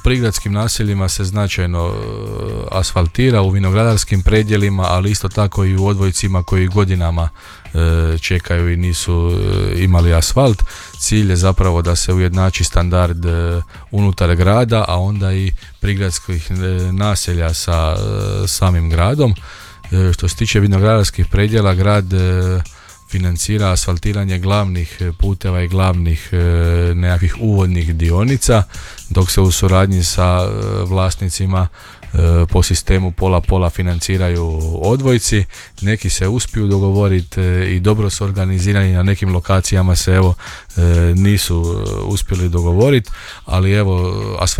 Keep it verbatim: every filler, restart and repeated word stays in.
prigradskim naseljima se značajno asfaltira, u vinogradarskim predjelima, ali isto tako i u odvojcima koji godinama čekaju i nisu imali asfalt. Cilj je zapravo da se ujednači standard unutar grada, a onda i prigradskih naselja sa samim gradom. Što se tiče vinogradarskih predjela, grad financira asfaltiranje glavnih puteva i glavnih nekakvih uvodnih dionica, dok se u suradnji sa vlasnicima po sistemu pola-pola financiraju odvojci. Neki se uspiju dogovoriti i dobro su organizirani, na nekim lokacijama se evo nisu uspjeli dogovoriti, ali evo asfalt